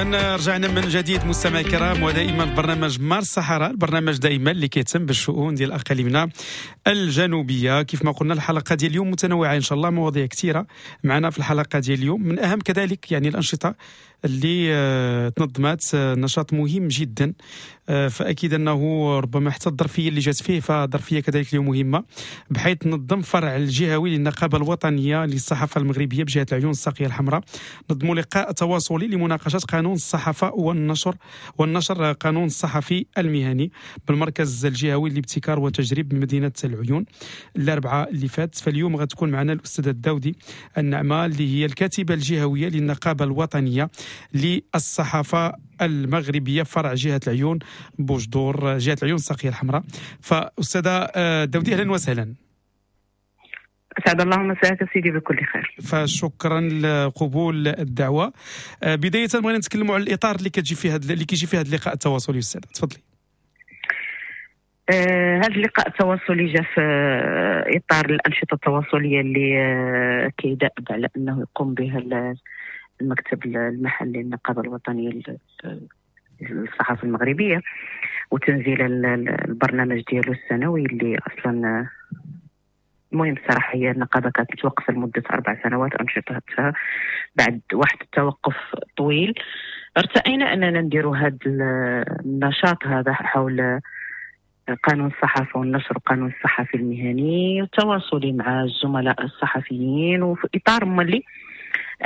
إذا رجعنا من جديد مستمعي الكرام، ودائما برنامج مارس الصحراء، البرنامج دائما اللي كيهتم بالشؤون ديال اقاليمنا الجنوبية. كيف ما قلنا الحلقة ديال اليوم متنوعة ان شاء الله، مواضيع كثيرة معنا في الحلقة ديال اليوم. من اهم كذلك يعني الانشطة اللي تنظمت، نشاط مهم جدا، فاكيد انه ربما حتى الظرفية اللي جات فيه فظرفيه كذلك اليوم مهمة، بحيث نظم فرع الجهوي للنقابه الوطنية للصحافة المغربية بجهة العيون الساقيه الحمراء، نظموا لقاء تواصلي لمناقشة قانون الصحافة والنشر قانون الصحفي المهني بالمركز الجهوي للابتكار والتجريب بمدينة العيون الاربعاء اللي فات. فاليوم غتكون معنا الاستاذة الداودي النعمة اللي هي الكاتبة الجهوية للنقابه الوطنية للصحافة المغربية فرع جهة العيون بوجدور، جهة العيون الساقية الحمراء. فأستاذة داودي أهلا وسهلا. أسعد الله مساك سيدي بكل خير. فشكرا لقبول الدعوة. بداية بغينا نتكلموا على الإطار اللي كتجي فيه اللي كيجي فيه هذا اللقاء التواصلي. أستاذة تفضلي. هذا اللقاء التواصلي جاء في إطار الأنشطة التواصلية اللي كيدأب على أنه يقوم بها المكتب المحلي للنقابة الوطنية للصحافة المغربية وتنزيل البرنامج ديالو السنوي اللي أصلا المهم الصراحة هي النقابة كانت متوقفة لمدة 4 سنوات أنشطتها بعد واحد التوقف طويل. ارتأينا أننا نديروا هذا النشاط هذا حول قانون الصحافة والنشر وقانون الصحفي المهني والتواصلي مع الزملاء الصحفيين، وفي إطار مولي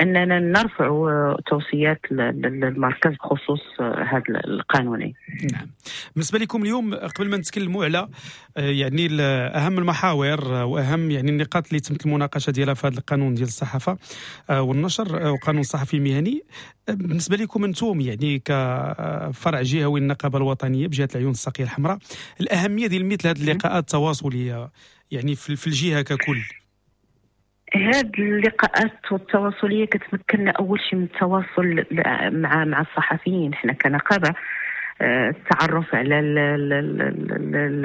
أننا نرفع توصيات للمركز بخصوص هذا القانونين. نعم. بالنسبة لكم اليوم قبل ما نتكلموا على يعني أهم المحاور وأهم يعني النقاط اللي تمت المناقشة ديالها في هذا القانون ديال الصحافة والنشر وقانون الصحفي المهني، بالنسبة لكم أنتم يعني كفرع جهوي للنقابة الوطنية بجهة العيون الساقية الحمراء، الأهمية ديال مثل هذه اللقاءات التواصلية يعني في الجهة ككل؟ هاد اللقاءات التواصلية كتمكننا أول شيء من التواصل مع الصحفيين. حنا كنقابة التعرف على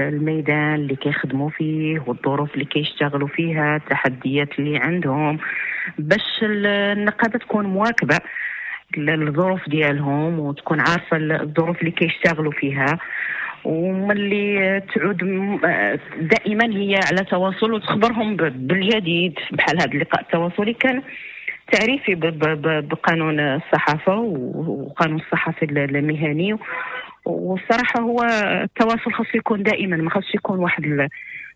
الميدان اللي كيخدموا فيه والظروف اللي كيشتغلوا فيها، التحديات اللي عندهم، باش النقابة تكون مواكبة للظروف ديالهم وتكون عارفة الظروف اللي كيشتغلوا فيها، وملي تعود دائما هي على تواصل وتخبرهم بالجديد. بحال هذا اللقاء التواصلي كان تعريفي بقانون الصحافة وقانون الصحافي المهني، والصراحة هو التواصل خاص يكون دائما، ما خاص يكون واحد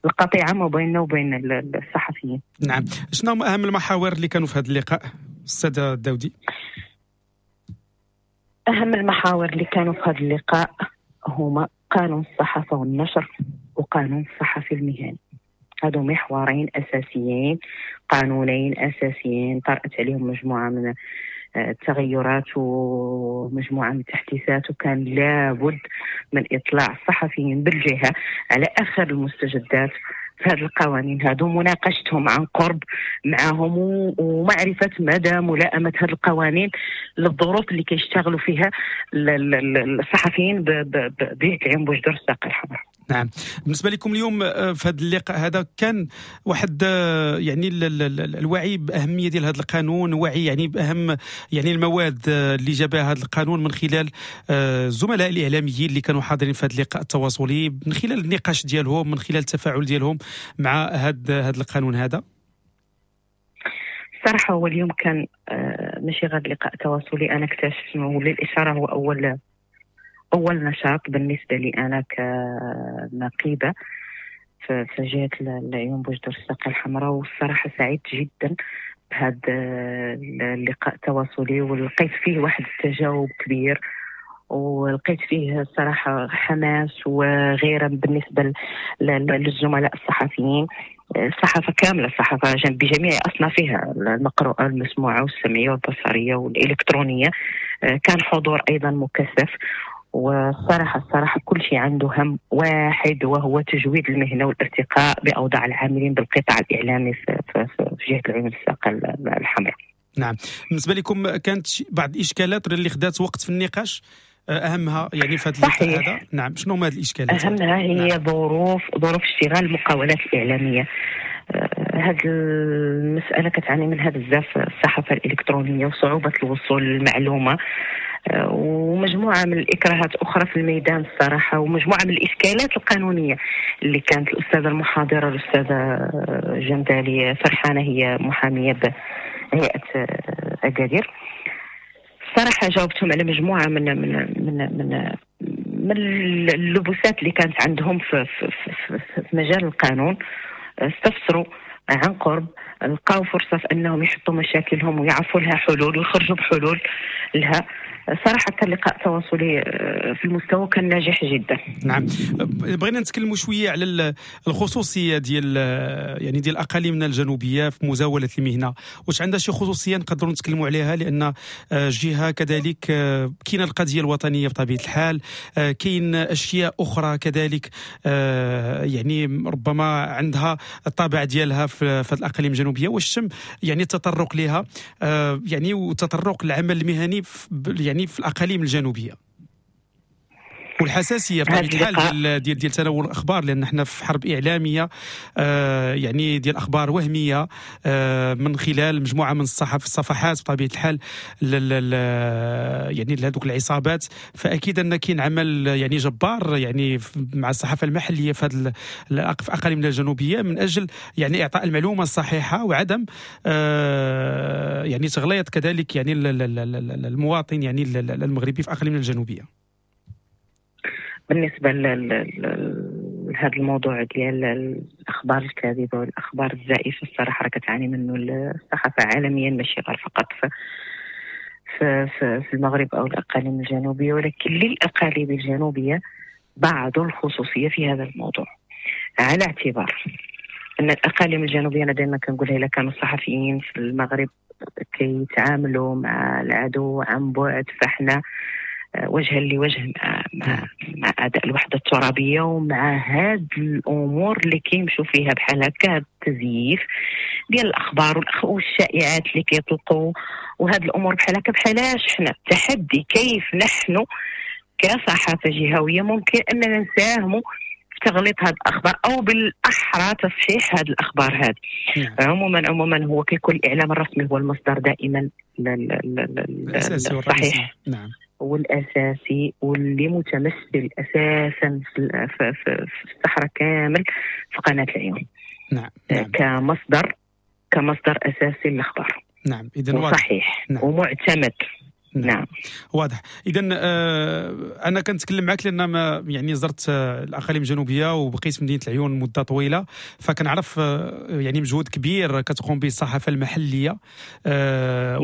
القطيعة ما بيننا وبين الصحفيين. نعم. شنو أهم المحاور اللي كانوا في هذا اللقاء أستاذة الداودي؟ أهم المحاور اللي كانوا في هذا اللقاء هما قانون الصحافة والنشر وقانون الصحفي المهني. هادو محورين أساسيين، قانونين أساسيين طرأت عليهم مجموعة من التغيرات ومجموعة من التحديثات، وكان لابد من إطلاع الصحفيين بالجهة على آخر المستجدات في هذه القوانين هادو، مناقشتهم عن قرب معهم ومعرفة مدى ملائمة هذه القوانين للظروف اللي كيشتغلوا فيها الصحفيين بجهة العيون بوجدور الساقية الحمراء. نعم. بالنسبة لكم اليوم في هذا اللقاء هذا كان واحد يعني الوعي بأهمية ديال هذا القانون، وعي يعني بأهم يعني المواد اللي جابها هذا القانون من خلال الزملاء الإعلاميين اللي كانوا حاضرين في هذا اللقاء التواصلي، من خلال النقاش ديالهم، من خلال التفاعل ديالهم مع هذا القانون هذا. الصراحة هو اليوم كان ماشي غير لقاء تواصلي، أنا اكتشفت وللإشارة هو أول نشاط بالنسبة لي أنا كنقيبة في جهة العيون بوجدور الساقية الحمراء، والصراحة سعيد جدا بهذا اللقاء التواصلي، ولقيت فيه واحد التجاوب كبير، ولقيت فيه الصراحة حماس وغيره بالنسبة للزملاء الصحفيين. الصحافة كاملة، الصحافة بجميع أصنافها، المقروءة المسموعة والسمعية والبصرية والإلكترونية، كان حضور أيضا مكثف. والصراحة كل شيء عنده هم واحد، وهو تجويد المهنة والارتقاء بأوضاع العاملين بالقطاع الإعلامي في جهة العيون الساقية الحمراء. نعم. بالنسبة لكم كانت بعض الإشكالات اللي خدات وقت في النقاش، أهمها يعني في هذا اللقاء هذا؟ نعم، شنو هما هذه الإشكالات؟ أهمها هي نعم. ظروف اشتغال المقاولات الإعلامية. هذه المسألة كتعاني منها بزاف الصحافة الإلكترونية وصعوبة الوصول للمعلومة. ومجموعة من الإكراهات أخرى في الميدان الصراحة، ومجموعة من الإشكالات القانونية اللي كانت الأستاذة المحاضرة الأستاذة جندالي فرحانة، هي محامية بهيئة أكادير. الصراحة جاوبتهم على مجموعة من من من من من اللبسات اللي كانت عندهم في, في, في, في مجال القانون. استفسروا عن قرب، لقاو فرصة في أنهم يحطوا مشاكلهم ويعرفوا لها حلول ويخرجوا بحلول لها. صراحة كان لقاء تواصلي في المستوى، كان ناجح جدا. نعم، بغينا نتكلموا شوية على الخصوصية ديال يعني ديال أقاليمنا الجنوبية في مزاولة المهنة، واش عندها شي خصوصية نقدروا نتكلموا عليها؟ لأن جهة كذلك كاينة القضية الوطنية بطبيعة الحال، كاين أشياء أخرى كذلك يعني ربما عندها الطابع ديالها في الأقاليم الجنوبية، واش تم يعني التطرق لها يعني وتطرق العمل المهني يعني في الأقاليم الجنوبية والحساسية بطبيعة الحال ديال تناول الأخبار، لأن احنا في حرب إعلامية يعني ديال أخبار وهمية من خلال مجموعة من الصفحات بطبيعة الحال يعني لهذوك العصابات. فأكيد أن كاين عمل يعني جبار يعني مع الصحافة المحلية في هذه الأقاليم الجنوبية من أجل يعني إعطاء المعلومة الصحيحة وعدم يعني تغليط كذلك يعني المواطن يعني المغربي في أقاليم الجنوبية. بالنسبة لهذا الموضوع ديال الأخبار الكاذبة والأخبار الزائفة، الصراحة راه كتعاني منه الصحافة عالميا، ماشي غير فقط في في المغرب أو الأقاليم الجنوبية، ولكن للأقاليم الجنوبية بعض الخصوصية في هذا الموضوع، على اعتبار أن الأقاليم الجنوبية أنا دائما كنقولها إلا كانوا الصحفيين في المغرب كيتعاملوا مع العدو عن بعد، فاحنا وجها لوجه مع أعداء الوحدة الترابية ومع هاد الأمور اللي كيمشوا فيها بحال هكا، التزييف ديال الأخبار والشائعات اللي كيطلقوا وهاد الأمور بحال هكا. بحالاش حنا تحدي كيف نحن كصحافة جهوية ممكن أننا نساهموا في تغليط هاد الأخبار أو بالأحرى تصحيح هاد الأخبار هذه. عموما هو كيكون الإعلام الرسمي هو المصدر دائما الصحيح. نعم، والأساسي واللي متمثل أساسا في الصحراء كامل في قناة العيون. نعم. نعم. كمصدر أساسي للأخبار. نعم، إذن واضح. صحيح. نعم. ومعتمد. نعم. واضح. اذا انا كنتكلم معك لان ما يعني زرت الاقاليم الجنوبية وبقيت في مدينة العيون مده طويلة، فكنعرف يعني مجهود كبير كتقوم به الصحافة المحلية،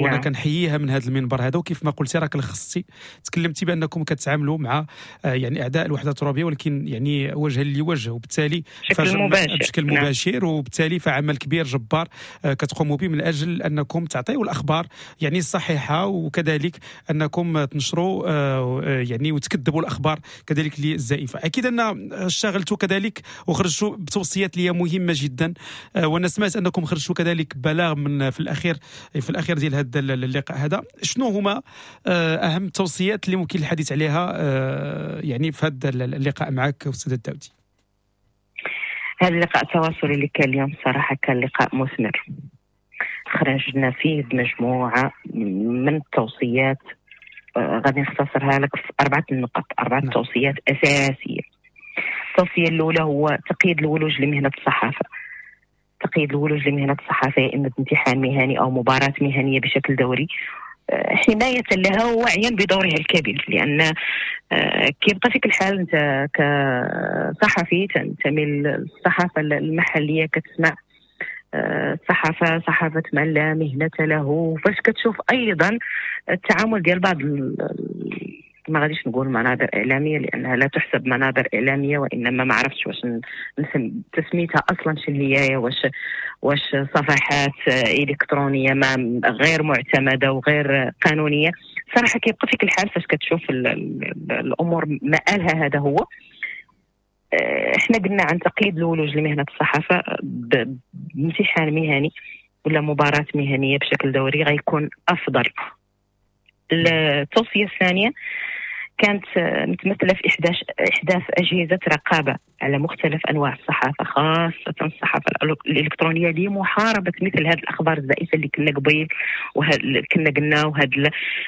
وانا كنحييها من هذا المنبر هذا. وكيف ما قلتي راك لخصتي، تكلمتي بانكم كتعاملوا مع يعني اعداء الوحدة الترابيه، ولكن يعني وجها لوجه، وبالتالي بشكل مباشر. وبالتالي فعمل كبير جبار كتقوموا به من اجل انكم تعطيوا الاخبار يعني الصحيحة، وكذلك انكم تنشروا يعني وتكذبوا الاخبار كذلك الزائفة. اكيد ان اشتغلتوا كذلك وخرجتوا بتوصيات لي مهمة جدا، وانا سمعت انكم خرجتوا كذلك بلاغ من في الاخير ديال هذا اللقاء هذا. شنو هما اهم التوصيات اللي ممكن الحديث عليها يعني في هذا اللقاء معك استاذ الداودي؟ هذا اللقاء التواصلي اللي كان اليوم صراحة كان لقاء مثمر، خرجنا فيه بمجموعة من التوصيات، غادي نختصرها لك في 4 النقط، 4 توصيات أساسية. التوصية الأولى هو تقييد الولوج لمهنة الصحافة. تقييد الولوج لمهنة الصحافة يا إما بامتحان مهني أو مباراة مهنية بشكل دوري، حماية لها ووعيا بدورها الكبير، لأن كيبقى فيك الحال أنت كصحفي تنتمي للصحافة المحلية، كتسمع الصحافة صحافة من لا مهنة له، فاش كتشوف أيضا التعامل ديال بعض، ما غاديش نقول منابر إعلامية لأنها لا تحسب منابر إعلامية، وإنما ما عرفتش واش تسميتها أصلا شنو هي، واش صفحات إلكترونية ما غير معتمدة وغير قانونية. صراحة كيبقى فيك الحال فاش كتشوف الأمور مآلها. هذا هو. احنا قلنا عن تقييد الولوج لمهنة الصحافة بامتحان مهني ولا مباراة مهنية بشكل دوري غيكون أفضل. التوصية الثانية كانت متمثلة في إحداث أجهزة رقابة على مختلف أنواع الصحافة، خاصة الصحافة الإلكترونية، لمحاربة مثل هذه الأخبار الزائفة اللي كنا قبيل كنا قلنا،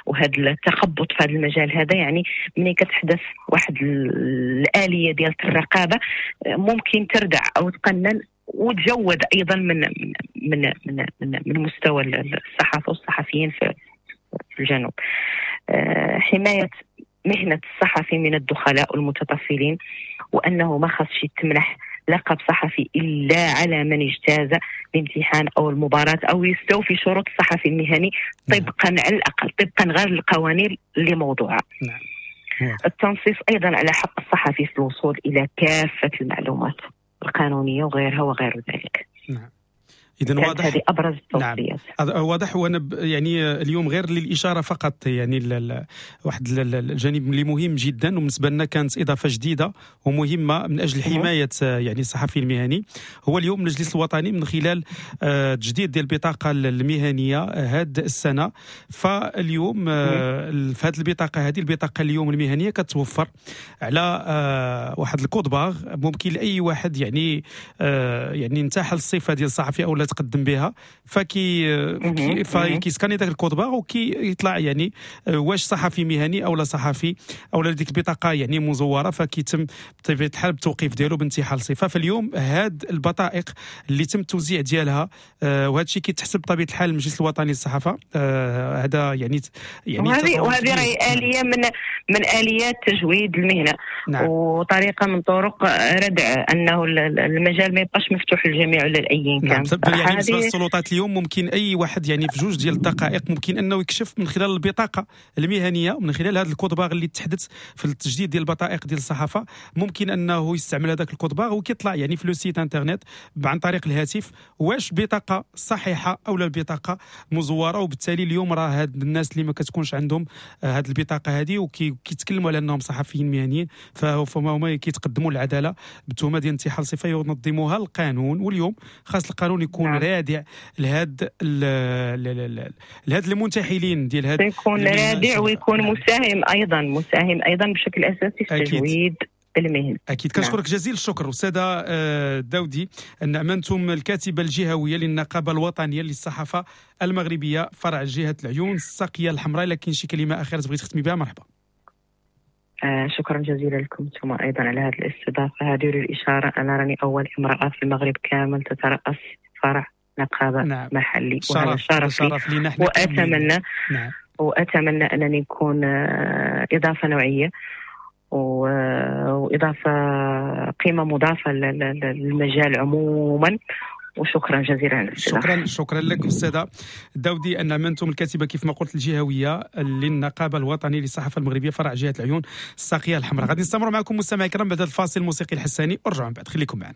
وهذا التخبط في هذا المجال هذا. يعني ملي كتحدث واحد الآلية ديال الرقابة ممكن تردع أو تقنن وتجود أيضا من من من من, من مستوى الصحافة والصحفيين في الجنوب. حماية مهنة الصحفي من الدخلاء والمتطفلين، وأنه ما خصش يتمنح لقب صحفي إلا على من اجتاز الامتحان أو المباراة أو يستوفي شروط الصحفي المهني طبقا على الأقل، طبقا غير القوانين اللي موضوعة. التنصيص أيضا على حق الصحفي في الوصول إلى كافة المعلومات القانونية وغيرها وغير ذلك. نعم. إذن واضح، هذه أبرز التوصيات. نعم. واضح. وأنا يعني اليوم غير للإشارة فقط، يعني واحد الجانب اللي مهم جدا وبالنسبة لنا كانت إضافة جديدة ومهمة من أجل حماية يعني الصحفي المهني، هو اليوم المجلس الوطني من خلال تجديد ديال البطاقة المهنية هاد السنة. فاليوم في هذه البطاقة، هذه البطاقة اليوم المهنية كتوفر على واحد ال code-barres ممكن لأي واحد يعني يعني انتحل الصفة ديال الصحفي أو لا تقدم بها، فكي سكاني داك ال code-barres وكي يطلع يعني واش صحفي مهني او لا صحفي او لا ديك البطاقة يعني مزوره، فكيتم بطبيعة الحال بالتوقيف ديالو بانتحال صفة. فاليوم هاد البطائق اللي تم التوزيع ديالها وهذا الشيء كيتحسب بطبيعة الحال المجلس الوطني للصحافة، هذا يعني وهذه راهي آلية من آليات تجويد المهنة. نعم. وطريقه من طرق ردع انه المجال ما يبقاش مفتوح للجميع ولا لاي كان. نعم. يعني بالنسبة للسلطات اليوم ممكن اي واحد يعني في جوج ديال الدقائق ممكن انه يكشف من خلال البطاقة المهنية ومن خلال هذا ال code-barres اللي تحدث في التجديد ديال البطائق ديال الصحافة، ممكن انه يستعمل هذاك ال code-barres وكيطلع يعني في le site internet عن طريق الهاتف واش بطاقة صحيحه او لا البطاقة مزوره. وبالتالي اليوم راه هاد الناس اللي ما كتكونش عندهم هاد البطاقة هذه وكيتكلموا على انهم صحفيين مهنيين فهما هما كيتقدموا للعدالة بتهمه ديال انتحال صفة ينظمها القانون. واليوم خاص القانون يكون رادع لهاد لهاد المنتحلين ديال هاد، يكون رادع ويكون مساهم ايضا، مساهم ايضا بشكل اساسي في تجويد المهنة. اكيد. كنشكرك جزيل الشكر استاذه داودي النعمنتم، الكاتبة الجهوية للنقابه الوطنية للصحافة المغربية فرع جهة العيون الساقيه الحمراء. لكن شي كلمة اخيرة تبغي تختمي بها؟ مرحبا. شكرا جزيلا لكم ثم ايضا على هذه الاستضافة. هذه للاشارة انا راني اول امراة في المغرب كامل تترأس فرع نقابة. نعم. محلي، وهذا شرف لي، واتمنى. نعم. واتمنى انني نكون اضافه نوعية واضافه قيمة مضافة للمجال عموما. وشكرا جزيلا. شكرا لك استاذه داودي النعمنتم، الكاتبة كيف ما قلت الجهوية للنقابه الوطنية للصحافة المغربية فرع جهة العيون الساقيه الحمراء. غادي نستمروا معكم مستمعي الكرام بعد الفاصل الموسيقي الحساني، ورجعوا من بعد، خليكم معنا.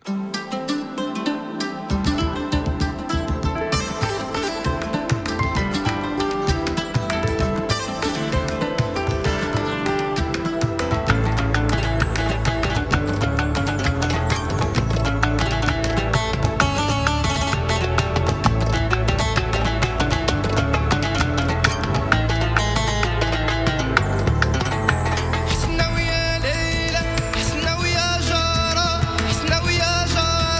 حسنا ويا ليلى، حسنا ويا جارة، حسنا ويا جارة.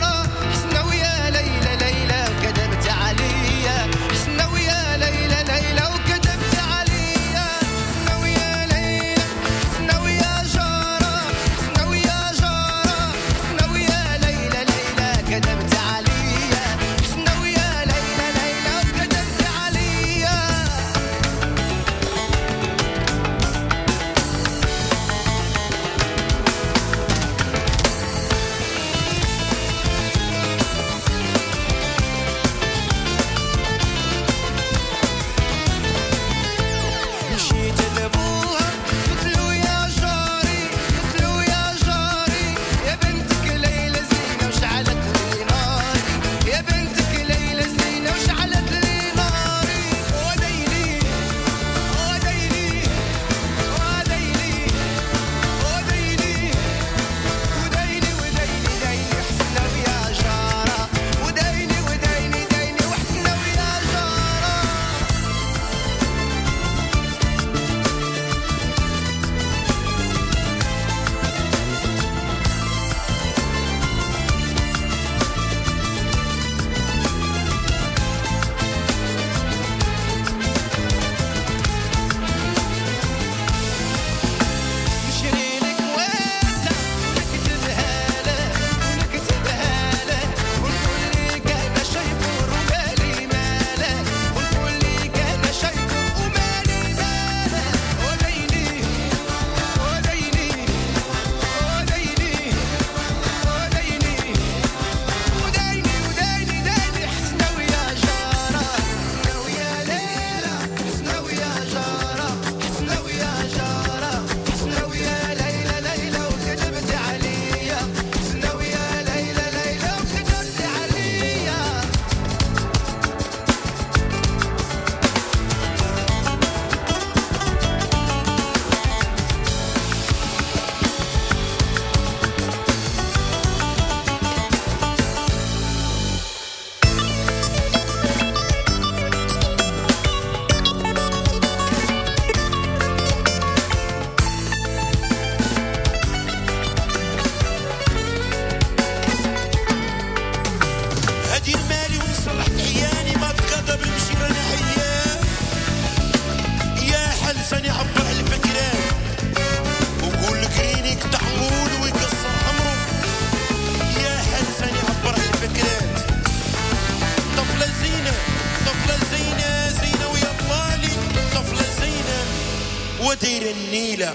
النيلة.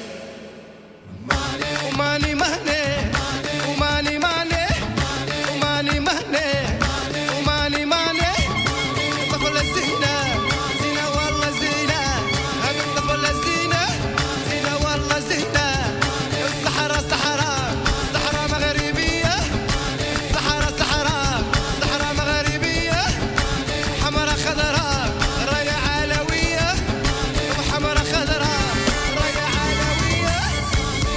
وماني مهني وماني ماني وماني مهني وماني ماني الطفلة زينة زينة والله زينة، هذه الطفلة زينة زينة والله زينة. الصحراء صحراء صحراء مغربية، صحراء صحراء صحراء مغربية، حمراء خضراء راية علوية، وحمراء خضراء راية علوية.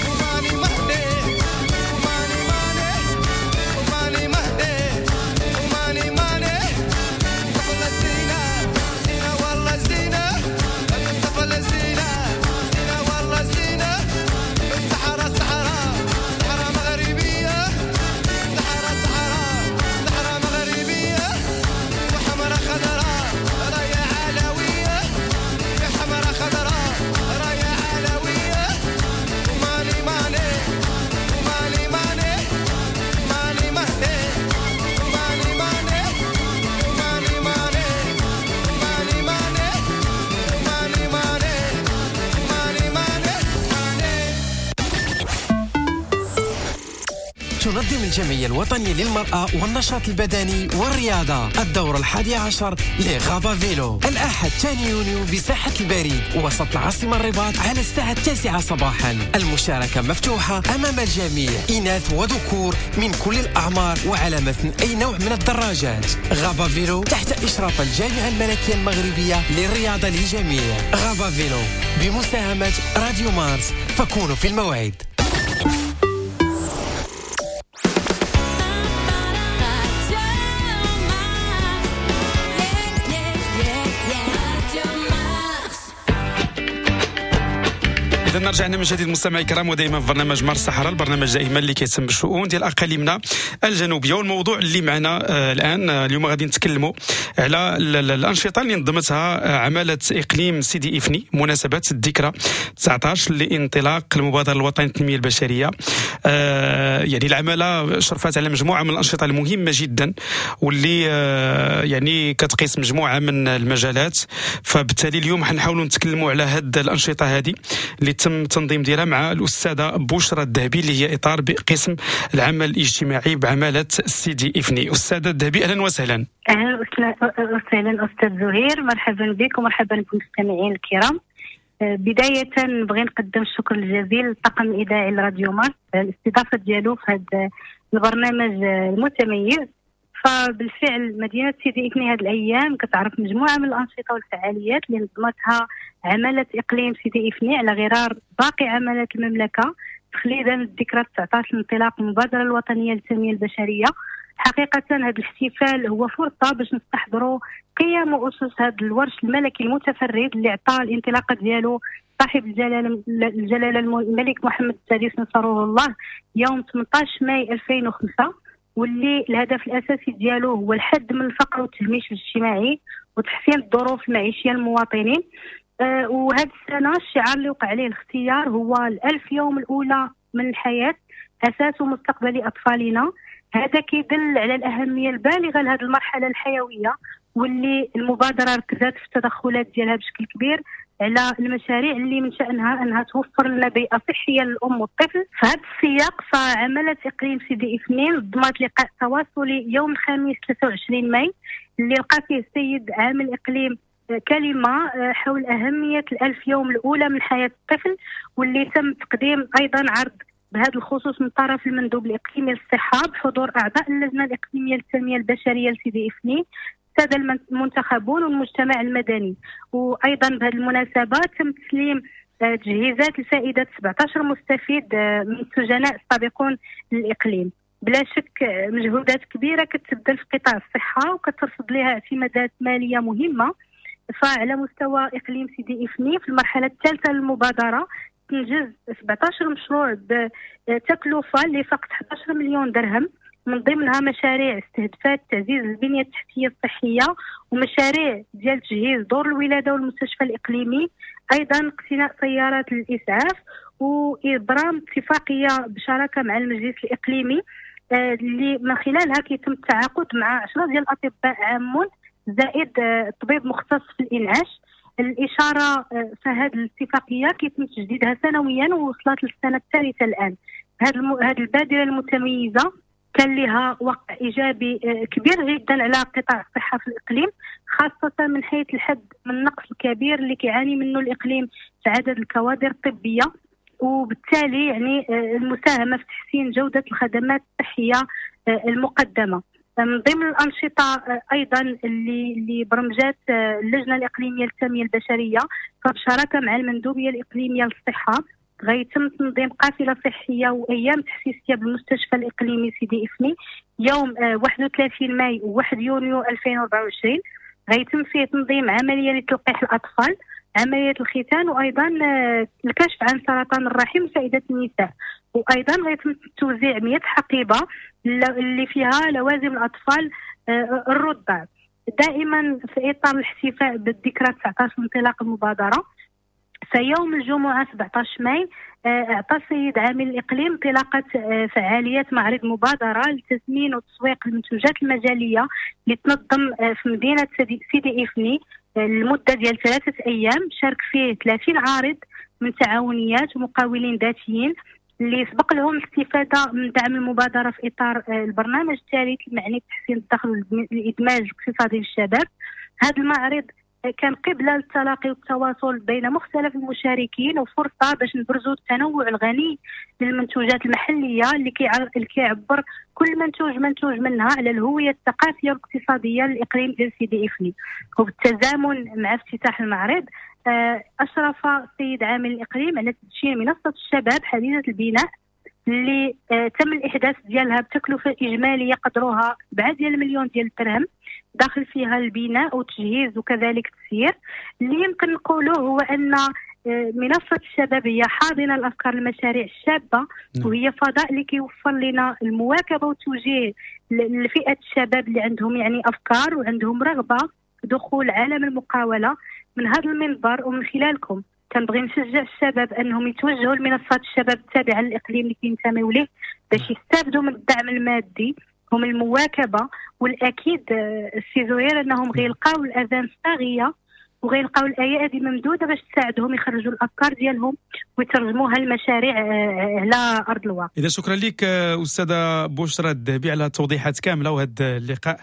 وماني مهني وماني ماني وماني مهني وماني ماني الطفلة زينة زينة والله زينة، الطفلة زينة زينة والله زينة. الصحراء صحراء صحراء مغربية، صحراء صحراء صحراء مغربية، وحمراء خضراء راية علوية، حمراء خضراء راية علوية. وماني ماني وماني ماني ماني مهني وماني ماني وماني ماني وماني ماني وماني ماني وماني ماني ماني. تنظم الجمعية الوطنية للمرأة والنشاط البدني والرياضة الدورة 11 ل Rabat Vélo الأحد 2 يونيو بساحة البريد وسط العاصمة الرباط على الساعة 9 صباحا. المشاركة مفتوحة أمام الجميع، إناث وذكور من كل الأعمار وعلى متن أي نوع من الدراجات. Rabat Vélo تحت إشراف الجامعة الملكية المغربية للرياضة للجميع. Rabat Vélo بمساهمة راديو مارس، فكونوا في الموعد. اذا رجعنا من جديد مستمعي الكرام، ودائما في برنامج مارس الصحراء، البرنامج دائما اللي كيهتم بالشؤون ديال اقاليمنا الجنوبية. والموضوع اللي معنا الان اليوم غادي نتكلموا على الانشطة اللي نظمتها عماله اقليم سيدي افني مناسبة الذكرى 19 لانطلاق المبادرة الوطنية للتنمية البشرية. يعني العمالة شرفت على مجموعة من الانشطة المهمة جدا واللي يعني كتقيس مجموعة من المجالات. فبالتالي اليوم حنحاولوا نتكلموا على هاد الانشطة هذه اللي تم التنظيم ديالها مع الاستاذة بشرى الذهبي اللي هي اطار بقسم العمل الاجتماعي بعماله سيدي افني. استاذه الذهبي اهلا وسهلا. اهلا وسهلا استاذ زهير، مرحبا بك ومرحبا بالمستمعين الكرام. بداية نبغي نقدم الشكر الجزيل للطاقم الإذاعي لراديو مارس على الاستضافة ديالو في هذا البرنامج المتميز. فبالفعل مدينة سيدي إفني هذه الأيام كتعرف مجموعة من الأنشطة والفعاليات اللي نظمتها عمالة إقليم سيدي إفني على غرار باقي عمالات المملكة تخليدا للذكرى 19 لانطلاق المبادرة الوطنية للتنمية البشرية. حقيقة هذا الاحتفال هو فرصة باش نستحضروا قيم وأسس هذا الورش الملكي المتفرد اللي عطى الانطلاقة ديالو صاحب الجلالة الملك محمد السادس نصره الله يوم 18 ماي 2005، واللي الهدف الأساسي ديالو هو الحد من الفقر والتهميش الاجتماعي وتحسين الظروف المعيشية للمواطنين. وهذه السنة الشعار اللي وقع عليه الاختيار هو 1000 يوم الأولى من الحياة أساس مستقبل أطفالنا. هذا كيدل على الأهمية البالغة لهذه المرحلة الحيوية واللي المبادرة ركزت في التدخلات ديالها بشكل كبير على المشاريع اللي من شأنها أنها توفر لنا بيئة صحية للأم والطفل. في هذا السياق فعملت إقليم سيدي إفني نظمت لقاء تواصلي يوم الخميس 23 ماي اللي لقى فيه السيد عامل إقليم كلمة حول أهمية 1000 يوم الأولى من حياة الطفل، واللي تم تقديم أيضا عرض بهذا الخصوص من طرف المندوب الإقليمي للصحة بحضور أعضاء اللجنة الإقليمية للتنمية البشرية لسيدي إفني، السادة المنتخبون والمجتمع المدني. وأيضا بهذه المناسبة تم تسليم تجهيزات لفائدة 17 مستفيد من السجناء السابقون للإقليم. بلا شك مجهودات كبيرة كتبذل في قطاع الصحة وكترصد لها اعتمادات مالية مهمة. فعلى مستوى إقليم سيدي إفني في المرحلة الثالثة للمبادرة تنجز 17 مشروع بتكلفة اللي فاقت 11 مليون درهم، من ضمنها مشاريع استهدفات تعزيز البنية التحتية الصحية ومشاريع ديال تجهيز دور الولادة والمستشفى الإقليمي، أيضا اقتناء سيارات للإسعاف وإبرام اتفاقية بشراكة مع المجلس الإقليمي اللي من خلالها كيتم التعاقد مع 10 ديال الأطباء عامون زائد طبيب مختص في الإنعاش. الاشارة فهذه الاتفاقية كيتم تجديدها سنويا ووصلت للسنة الثالثة الان. هذه البادرة المتميزة كان لها وقع ايجابي كبير جدا على قطاع الصحة في الاقليم، خاصة من حيث الحد من النقص الكبير اللي كيعاني منه الاقليم في عدد الكوادر الطبية، وبالتالي يعني المساهمة في تحسين جوده الخدمات الصحية المقدمة. من ضمن الانشطة ايضا اللي برمجات اللجنة الاقليمية للتنمية البشرية فبشراكه مع المندوبيه الاقليمية للصحة غيتم تنظيم قافله صحية وايام تحسيسيه بالمستشفى الاقليمي سيدي افني يوم 31 ماي و1 يونيو 2024. غيتم فيه تنظيم عملية لتلقيح الاطفال، عملية الختان، وايضا الكشف عن سرطان الرحم لفائدة النساء، وايضا غيتم توزيع 100 حقيبة اللي فيها لوازم الاطفال الرضع. دائما في اطار الاحتفاء بالذكرى 19 انطلاق المبادرة، فيوم الجمعة 17 ماي اعطى السيد عامل الاقليم انطلاقة فعاليات معرض مبادرة لتثمين وتسويق المنتوجات المجاليه اللي تنظم في مدينة سيدي افني لمدة ديال 3 ايام. شارك فيه 30 عارض من تعاونيات ومقاولين ذاتيين اللي سبق لهم الاستفادة من دعم المبادرة في اطار البرنامج الثالث المعني بتحسين الدخل والادماج الاقتصادي للشباب. هذا المعرض كان قبلة للتلاقي والتواصل بين مختلف المشاركين وفرصة باش نبرزوا التنوع الغني للمنتوجات المحلية اللي كيعبر كل منتوج منها على الهوية الثقافية والاقتصادية للإقليم ديال سيدي إفني. وبالتزامن مع افتتاح المعرض أشرف السيد عامل الإقليم على تدشين منصة الشباب حديثة البناء اللي تم الإحداث ديالها بتكلفة إجمالية قدرها 7 مليون ديال الدرهم، داخل فيها البناء والتجهيز وكذلك التسيير. اللي يمكن نقوله هو أن منصة الشباب هي حاضنة الأفكار المشاريع الشابة، وهي فضاء اللي كيوفر لنا المواكبة والتوجيه لفئة الشباب اللي عندهم يعني أفكار وعندهم رغبة دخول عالم المقاولة. من هذا المنبر ومن خلالكم كنبغي نشجع الشباب أنهم يتوجهوا لمنصات الشباب التابعة للإقليم اللي كينتميو ليه باش يستافدوا من الدعم المادي ومن المواكبة، والأكيد السي زهير أنهم غيلقاو الأذان الصاغية وغيلقاو الأيادي ممدودة باش تساعدهم يخرجوا الأفكار ديالهم ويترجموها لمشاريع على أرض الواقع. إذا شكرا لك أستاذة بشرى الذهبي على التوضيحات كاملة وهذا اللقاء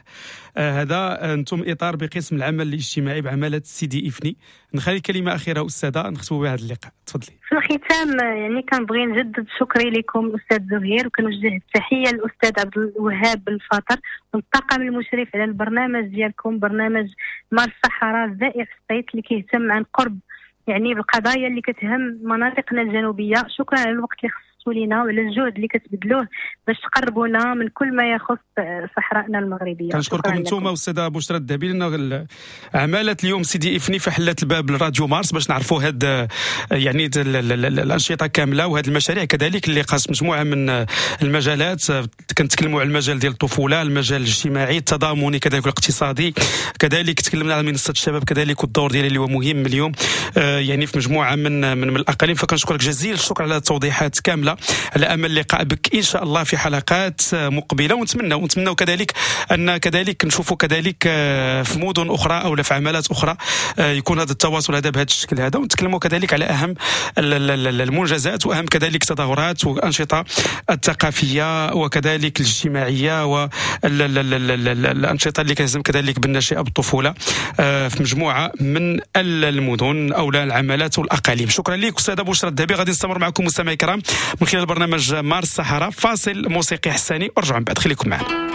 هذا. أنتم إطار بقسم العمل الاجتماعي بعمالة سيدي إفني. نخلي كلمة أخيرة أستاذة نختم بها هذا اللقاء، تفضلي. في الختام يعني كنبغي نجدد شكري لكم أستاذ زهير، وكنوجه التحية للأستاذ عبد الوهاب الفاطر والطاقم المشرف على البرنامج ديالكم، برنامج مار الصحراء الزائر الصيت اللي كيهتم عن قرب يعني بالقضايا اللي كتهم مناطقنا الجنوبية. شكرا على الوقت اللي خصصتوا لينا وعلى الجهد اللي كتبذلوه باش تقربونا من كل ما يخص صحرائنا المغربية. كنشكركم انتم أستاذة بشرى الذهبي لأن عمالة اليوم سيدي إفني فحلت الباب لراديو مارس باش نعرفوا هاد يعني الأنشطة كاملة وهاد المشاريع كذلك اللي قاس مجموعة من المجالات. كنتكلموا على المجال ديال الطفولة، المجال الاجتماعي التضامني كذلك الاقتصادي، كذلك تكلمنا على منصة الشباب كذلك والدور ديالها اللي هو مهم اليوم يعني في مجموعة من الأقاليم. فكنشكرك جزيل الشكر على التوضيحات كاملة، على امل اللقاء بك ان شاء الله في حلقات مقبله، ونتمنى كذلك ان كذلك نشوفوا كذلك في مدن اخرى او في عمالات اخرى يكون هذا التواصل هذا بهذا الشكل هذا، ونتكلموا كذلك على اهم المنجزات واهم كذلك التظاهرات والانشطه الثقافية وكذلك الاجتماعية والانشطه اللي كتهتم كذلك بالنشئه بالطفولة في مجموعة من المدن او العمالات والاقاليم. شكرا لك استاذه بشرى الذهبي. غادي نستمر معكم مستمعي الكرام من خلال برنامج مار الصحراء، فاصل موسيقي حساني ورجعوا من بعد، خليكم معنا.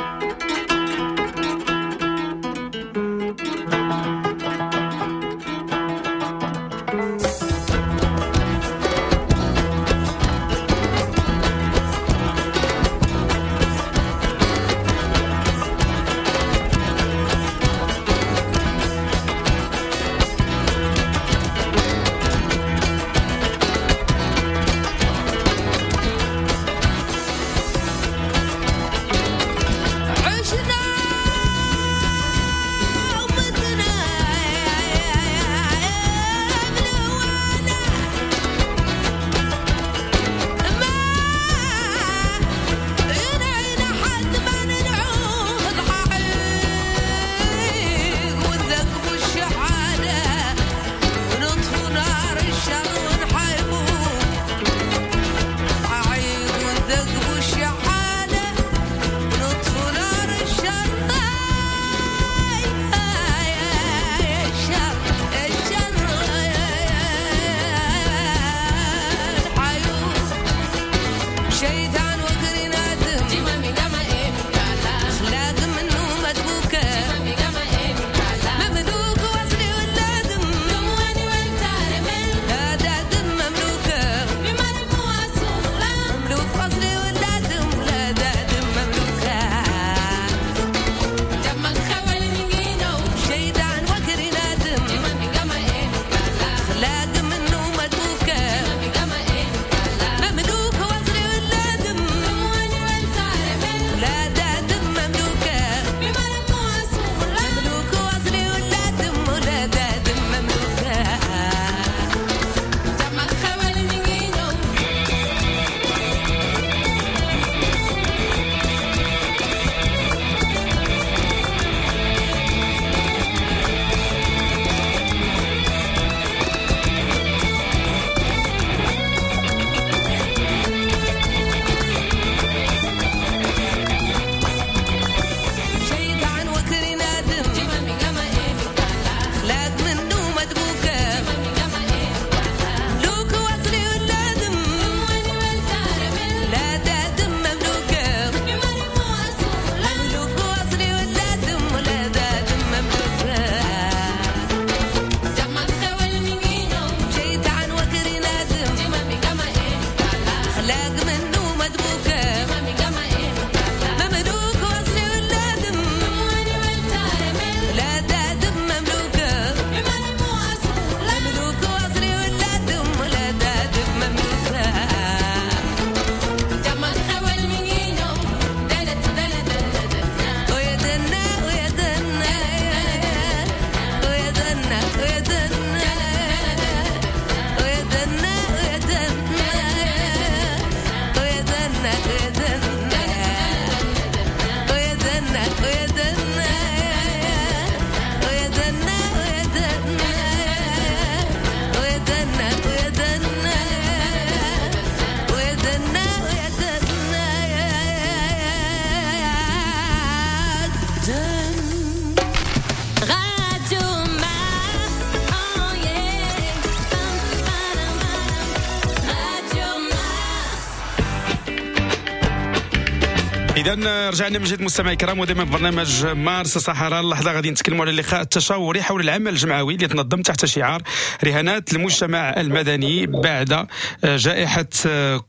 اذا رجعنا من جديد مستمعي الكرام، ودائما في برنامج مارس صحراء. اللحظة غادي نتكلموا على اللقاء التشاوري حول العمل الجمعوي اللي تنظم تحت شعار رهانات المجتمع المدني بعد جائحة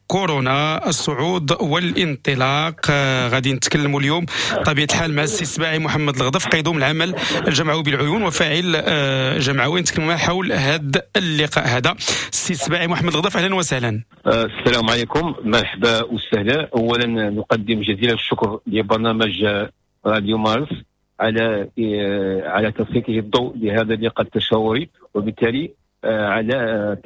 كورونا، الصعود والانطلاق. غادي نتكلموا اليوم بطبيعة الحال مع السي السباعي محمد الغضف، قيدوم العمل الجمعوي بالعيون وفاعل جمعوي، نتكلموا معه حول هذا اللقاء هذا. السي السباعي محمد الغضف، اهلا وسهلا. السلام عليكم، مرحبا وسهلا. اولا نقدم جزيل الشكر لبرنامج راديو مارس على تسليطه الضوء لهذا اللقاء التشاوري، وبالتالي على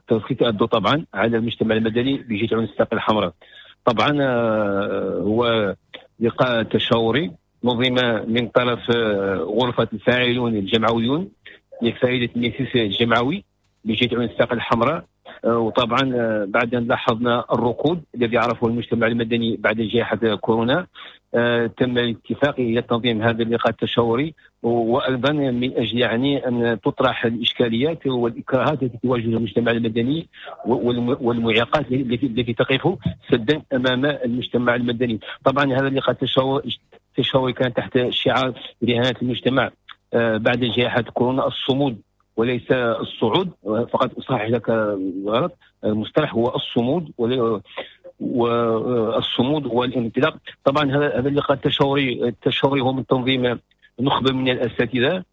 تسليط الضوء طبعا على المجتمع المدني بجهة عيون الساقية الحمراء. طبعا هو لقاء تشاوري نظم من طرف غرفة الفاعلون الجمعويون لفائدة المجلس الجمعوي بجهة عيون الساقية الحمراء. وطبعا بعد ان لاحظنا الركود الذي عرفه المجتمع المدني بعد جائحة كورونا، تم الاتفاق الى تنظيم هذا اللقاء التشاوري، وايضا من اجل يعني ان تطرح الاشكاليات والاكراهات التي تواجه المجتمع المدني والمعيقات التي تقف سدا امام المجتمع المدني. طبعا هذا اللقاء التشاوري كان تحت شعار رهانات المجتمع بعد جائحة كورونا، الصمود وليس الصعود. فقط اصحح لك الغلط، المصطلح هو الصمود والصمود والانطلاق. طبعا هذا اللقاء التشاوري هو من تنظيم نخبة من الاساتذة،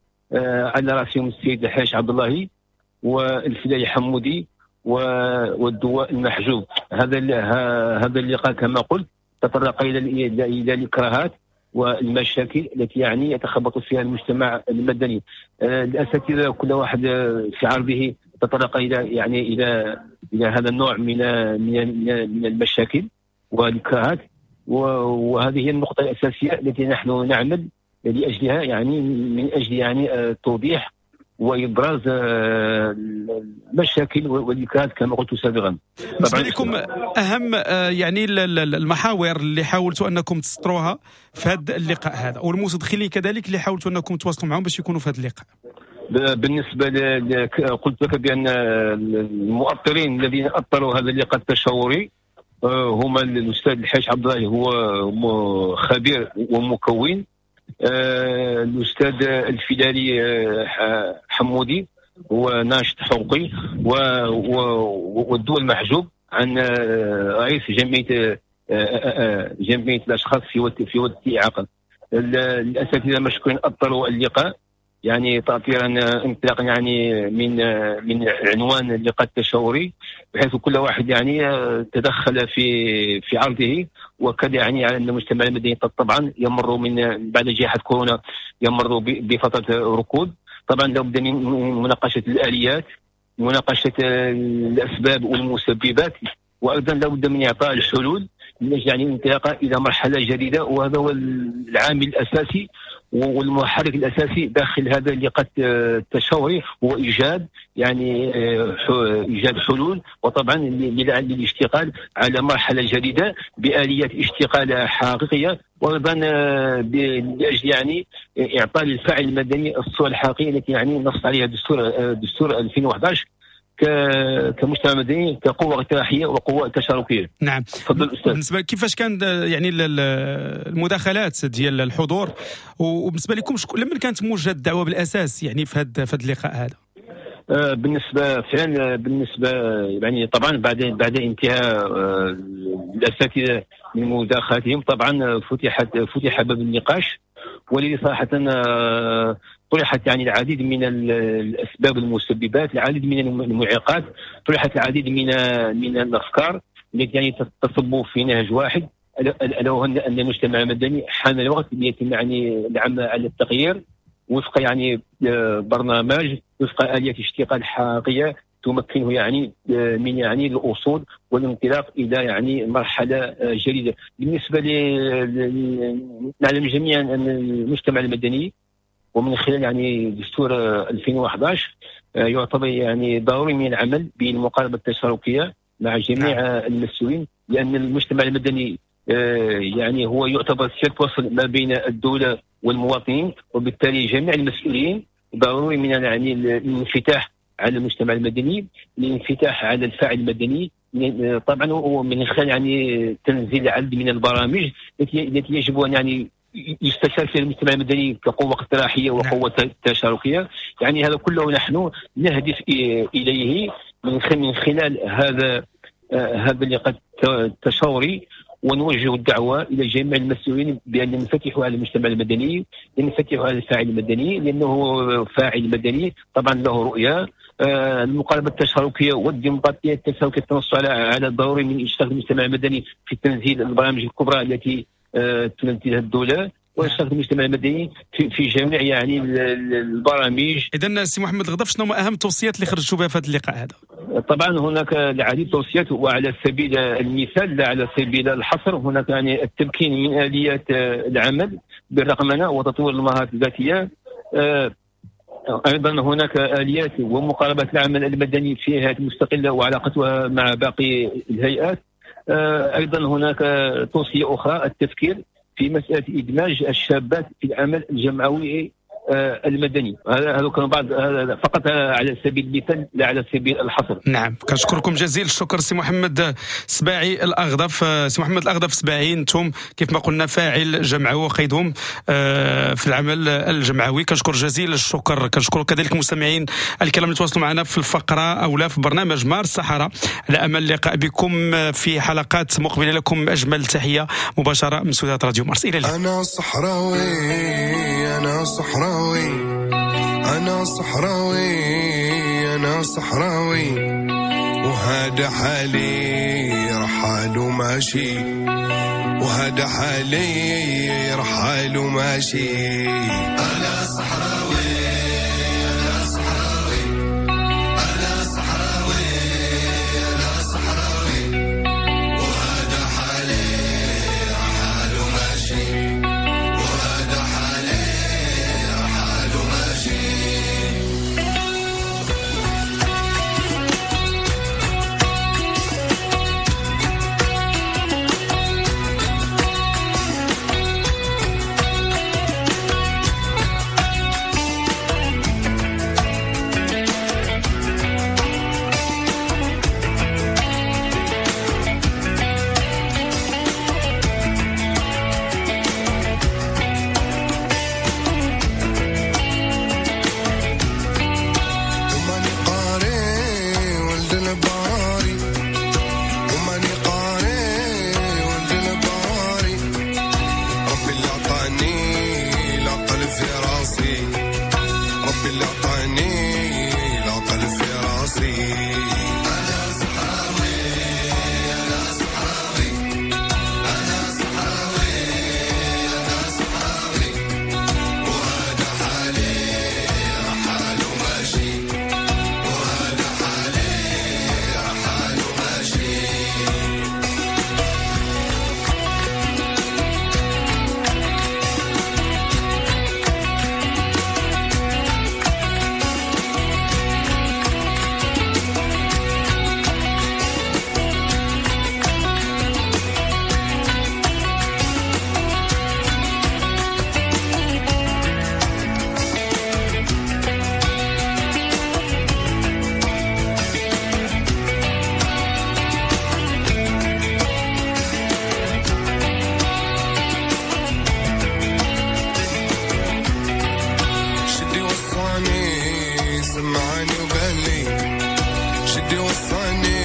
على راسهم السيد الحاج عبد الله والفلاي حمودي والدواء المحجوب. هذا اللقاء كما قلت تطرق الى الاكراهات والمشاكل التي يعني يتخبط فيها المجتمع المدني. الاساتذة كل واحد في عرضه تطرق الى يعني الى هذا النوع من من من المشاكل والاكراهات، وهذه هي النقطة الاساسية التي نحن نعمل لاجلها، يعني من اجل يعني توضيح وابراز المشاكل والاكراهات كما قلت سابقا. بالنسبة لكم اهم يعني المحاور اللي حاولتوا انكم تسطروها في هذا اللقاء هذا، والمتدخلين كذلك اللي حاولتوا انكم تواصلوا معهم باش يكونوا في هذا اللقاء. بالنسبة قلت لك بان المؤطرين الذين اطروا هذا اللقاء التشاوري هما الاستاذ الحاج عبد الله، هو خبير ومكون، الاستاذ الفدالي حمودي هو ناشط حقوقي، والدول المحجوب عن رئيس جمعية الاشخاص في وقت اعاقه. الاساتذة مشكورين اطروا اللقاء يعني تاطيرا انطلاقا يعني من عنوان اللقاء التشاوري، بحيث كل واحد يعني تدخل في عرضه، وكذا يعني على ان المجتمع المدني طبعا يمر من بعد جائحة كورونا يمر بفترة ركود. طبعا لابد من مناقشة الاليات، مناقشة الاسباب والمسببات، وايضا لابد من اعطاء الحلول من اجل يعني الانطلاق الى مرحلة جديدة، وهذا هو العامل الاساسي والمحرك الاساسي داخل هذا اللقاء التشاوري، هو ايجاد يعني ايجاد حلول، وطبعا للاشتغال على مرحلة جديدة باليات اشتغال حقيقية، وايضا لاجل يعني اعطاء للفاعل المدني الصورة الحقيقية التي يعني نص عليها دستور 2011 كمجتمع مدني، كقوة اقتراحية وقوة تشاركية. نعم. تفضل أستاذ. بالنسبة كيفاش كان يعني المداخلات ديال الحضور، وبالنسبة لكم لمن كانت موجهة الدعوة بالأساس يعني في هذا اللقاء هذا؟ بالنسبة فعلا بالنسبة يعني طبعا بعد انتهاء الأساتذة من مداخلاتهم، طبعا فتح باب النقاش، والذي صراحة طرحت يعني العديد من الاسباب المسببات، العديد من المعيقات، طرحت العديد من الافكار التي يعني تصب في نهج واحد، الا وهو ان المجتمع المدني حان الوقت ليتم يعني العمل على التغيير وفق يعني برنامج، وفق آلية اشتغال حقيقية تمكنه يعني من يعني الوصول والانطلاق الى يعني مرحلة جديدة. بالنسبة نعلم جميعا ان المجتمع المدني ومن خلال يعني دستور 2011 يعتبر يعني ضروري من العمل بالمقاربه التشاركيه مع جميع المسؤولين، لان المجتمع المدني يعني هو يعتبر سلك وصل ما بين الدولة والمواطنين، وبالتالي جميع المسؤولين ضروري من يعني الانفتاح على المجتمع المدني، الانفتاح على الفاعل المدني، طبعا ومن خلال يعني تنزيل عدد من البرامج التي يجب ان يعني يستشار فيها المجتمع المدني كقوة اقتراحيه وقوه تشاركيه. يعني هذا كله نحن نهدف اليه من خلال هذا اللقاء التشاوري، ونوجه الدعوة الى جميع المسؤولين بان ينفتحوا على المجتمع المدني، ينفتحوا على الفاعل المدني، لانه فاعل مدني طبعا له رؤية. المقاربة التشاركيه والديمقراطية التشاركيه تنص على الضروري من اشتراك المجتمع المدني في تنزيل البرامج الكبرى التي تنزلها الدولة، واشتراك المجتمع المدني في جميع يعني البرامج. اذا سي محمد الغضف، شنو هما اهم التوصيات اللي خرجتوا بها في هذا اللقاء هذا؟ طبعا هناك العديد التوصيات، وعلى سبيل المثال لا على سبيل الحصر، هناك يعني التمكين من اليات العمل بالرقمنه وتطوير المهارات الذاتية. ايضا هناك اليات ومقاربات العمل المدني في هيئات مستقلة وعلاقتها مع باقي الهيئات. ايضا هناك توصية اخرى، التفكير في مسالة ادماج الشابات في العمل الجمعوي المدني. هذا كان بعض، فقط على سبيل المثال لا على سبيل الحصر. نعم، كنشكركم جزيل الشكر سي محمد سباعي الاغضف. سي محمد الاغضف سباعي، انتم كيف ما قلنا فاعل جمعوي وقيدهم في العمل الجمعوي، كنشكر جزيل الشكر. كنشكر كذلك المستمعين الكرام اللي تواصلوا معنا في الفقرة او لا في برنامج مارس الصحراء، على امل اللقاء بكم في حلقات مقبله. لكم اجمل تحية مباشرة من استوديوهات راديو مارس. الى اللقاء. انا صحراوي، انا صحراوي، أنا صحراوي، أنا صحراوي، وهذا حالي رحال وماشي، وهذا حالي رحال وماشي. أنا صحراوي، أنا صحراوي، أنا صحراوي، أنا صحراوي، وهذا حالي رحال وماشي، وهذا حالي رحال وماشي. سمعني وقال لي شدي وصاني.